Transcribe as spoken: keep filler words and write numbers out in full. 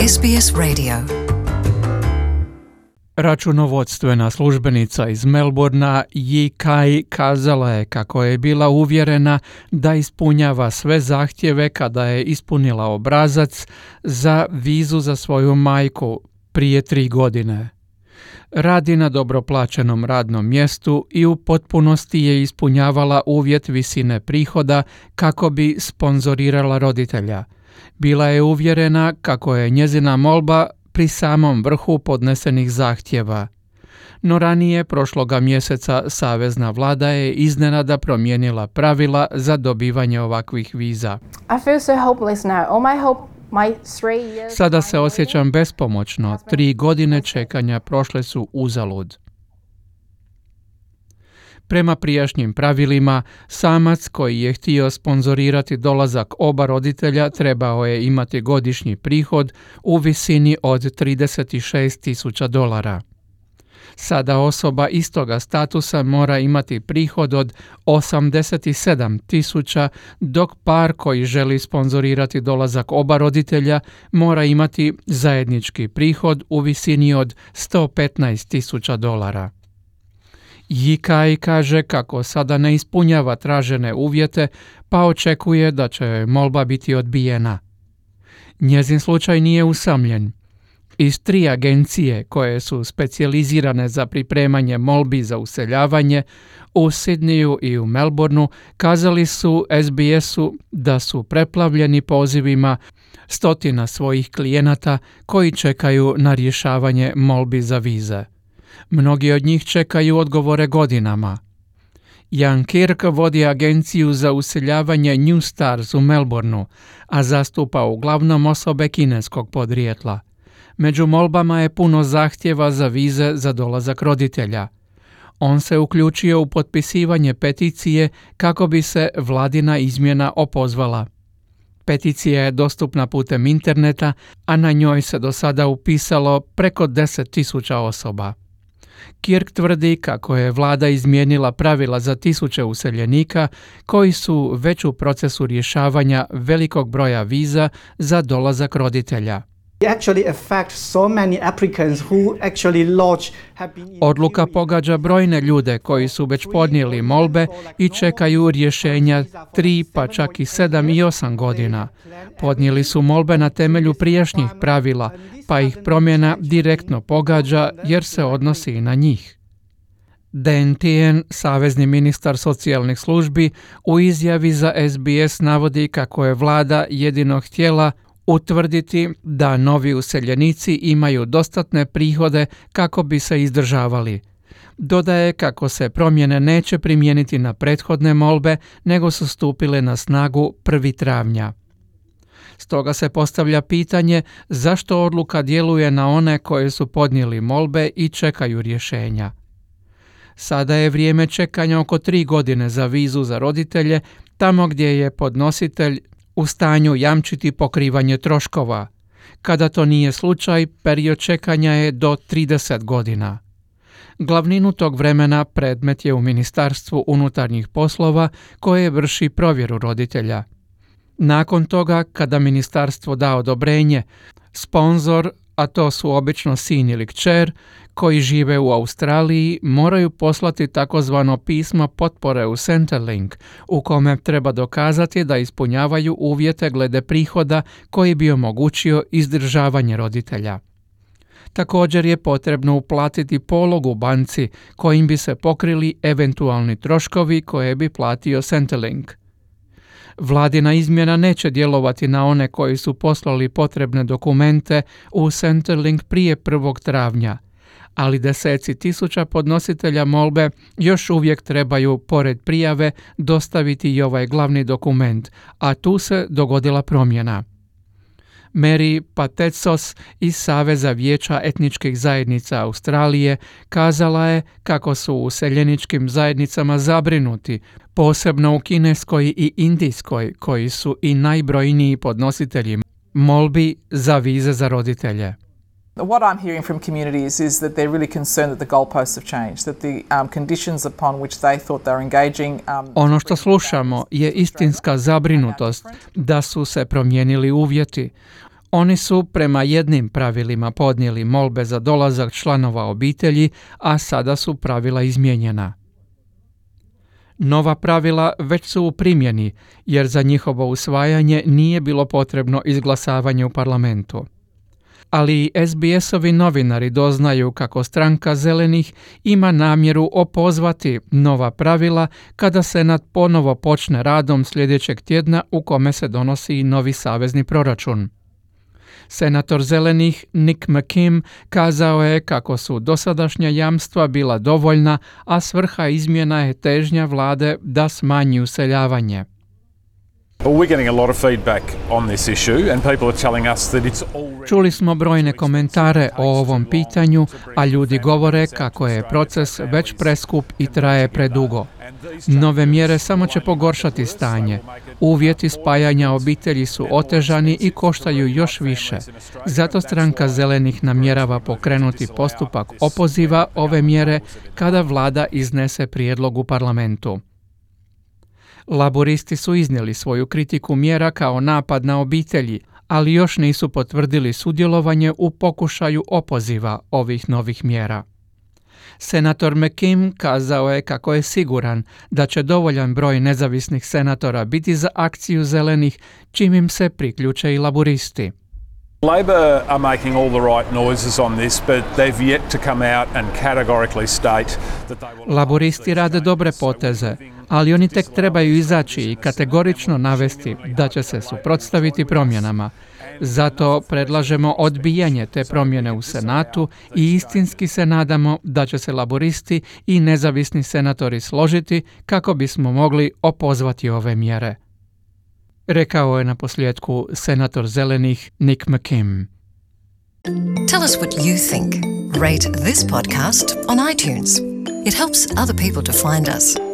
S B S Radio. Računovodstvena službenica iz Melbourna Yi Kai kazala je kako je bila uvjerena da ispunjava sve zahtjeve kada je ispunila obrazac za vizu za svoju majku prije tri godine. Radi na dobro plaćenom radnom mjestu i u potpunosti je ispunjavala uvjet visine prihoda kako bi sponzorirala roditelja. Bila je uvjerena kako je njezina molba pri samom vrhu podnesenih zahtjeva. No ranije prošloga mjeseca savezna vlada je iznenada promijenila pravila za dobivanje ovakvih viza. I feel so hopeless now. All my hope, my three years. Sada se osjećam bespomoćno. Tri godine čekanja prošle su uzalud. Prema prijašnjim pravilima, samac koji je htio sponzorirati dolazak oba roditelja trebao je imati godišnji prihod u visini od trideset šest tisuća dolara. Sada osoba istoga statusa mora imati prihod od osamdeset sedam tisuća, dok par koji želi sponzorirati dolazak oba roditelja mora imati zajednički prihod u visini od sto petnaest tisuća dolara. Yi Kai kaže kako sada ne ispunjava tražene uvjete, pa očekuje da će joj molba biti odbijena. Njezin slučaj nije usamljen. Iz tri agencije koje su specijalizirane za pripremanje molbi za useljavanje u Sydneyu i u Melbourneu kazali su S B S-u da su preplavljeni pozivima stotina svojih klijenata koji čekaju na rješavanje molbi za vize. Mnogi od njih čekaju odgovore godinama. Jan Kirk vodi agenciju za useljavanje New Stars u Melbourneu, a zastupa uglavnom osobe kineskog podrijetla. Među molbama je puno zahtjeva za vize za dolazak roditelja. On se uključio u potpisivanje peticije kako bi se vladina izmjena opozvala. Peticija je dostupna putem interneta, a na njoj se do sada upisalo preko deset tisuća osoba. Kirk tvrdi kako je vlada izmijenila pravila za tisuće useljenika koji su već u procesu rješavanja velikog broja viza za dolazak roditelja. Odluka pogađa brojne ljude koji su već podnijeli molbe i čekaju rješenja tri pa čak i sedam i osam godina. Podnijeli su molbe na temelju prijašnjih pravila, pa ih promjena direktno pogađa jer se odnosi i na njih. Dan Tehan, savezni ministar socijalnih službi, u izjavi za S B S navodi kako je vlada jedino htjela utvrditi da novi useljenici imaju dostatne prihode kako bi se izdržavali. Dodaje kako se promjene neće primijeniti na prethodne molbe, nego su stupile na snagu prvog travnja. Stoga se postavlja pitanje zašto odluka djeluje na one koji su podnijeli molbe i čekaju rješenja. Sada je vrijeme čekanja oko tri godine za vizu za roditelje, tamo gdje je podnositelj u stanju jamčiti pokrivanje troškova. Kada to nije slučaj, period čekanja je do trideset godina. Glavninu tog vremena predmet je u Ministarstvu unutarnjih poslova koje vrši provjeru roditelja. Nakon toga, kada ministarstvo da odobrenje, sponzor, a to su obično sin ili kćer, koji žive u Australiji, moraju poslati takozvano pismo potpore u Centrelink, u kome treba dokazati da ispunjavaju uvjete glede prihoda koji bi omogućio izdržavanje roditelja. Također je potrebno uplatiti polog u banci kojim bi se pokrili eventualni troškovi koje bi platio Centrelink. Vladina izmjena neće djelovati na one koji su poslali potrebne dokumente u Centrelink prije prvog travnja, ali deseci tisuća podnositelja molbe još uvijek trebaju, pored prijave, dostaviti i ovaj glavni dokument, a tu se dogodila promjena. Mary Patetsos iz Saveza vijeća etničkih zajednica Australije kazala je kako su u useljeničkim zajednicama zabrinuti, posebno u kineskoj i indijskoj, koji su i najbrojniji podnositelji molbi za vize za roditelje. What I'm hearing from communities is that they're really concerned that the goalposts have changed, that the um, conditions upon which they thought they were engaging. Um, ono što slušamo je istinska zabrinutost da su se promijenili uvjeti. Oni su prema jednim pravilima podnijeli molbe za dolazak članova obitelji, a sada su pravila izmijenjena. Nova pravila već su u primjeni, jer za njihovo usvajanje nije bilo potrebno izglasavanje u parlamentu. Ali i S B S-ovi novinari doznaju kako stranka Zelenih ima namjeru opozvati nova pravila kada Senat ponovo počne radom sljedećeg tjedna u kome se donosi novi savezni proračun. Senator Zelenih Nick McKim kazao je kako su dosadašnja jamstva bila dovoljna, a svrha izmjena je težnja vlade da smanji useljavanje. Čuli smo brojne komentare o ovom pitanju, a ljudi govore kako je proces već preskup i traje predugo. Nove mjere samo će pogoršati stanje. Uvjeti spajanja obitelji su otežani i koštaju još više. Zato stranka Zelenih namjerava pokrenuti postupak opoziva ove mjere kada vlada iznese prijedlog u parlamentu. Laboristi su iznijeli svoju kritiku mjera kao napad na obitelji, ali još nisu potvrdili sudjelovanje u pokušaju opoziva ovih novih mjera. Senator McKim kazao je kako je siguran da će dovoljan broj nezavisnih senatora biti za akciju Zelenih, čim im se priključe i laboristi. Labor are making all the right noises on this, but they've yet to come out and categorically state that they will... Laboristi rade dobre poteze, ali oni tek trebaju izaći i kategorično navesti da će se suprotstaviti promjenama. Zato predlažemo odbijanje te promjene u Senatu i istinski se nadamo da će se laboristi i nezavisni senatori složiti kako bismo mogli opozvati ove mjere. Rekao je na posljedku senator Zelenih Nick McKim. Tell us what you think. Rate this podcast on iTunes. It helps other people to find us.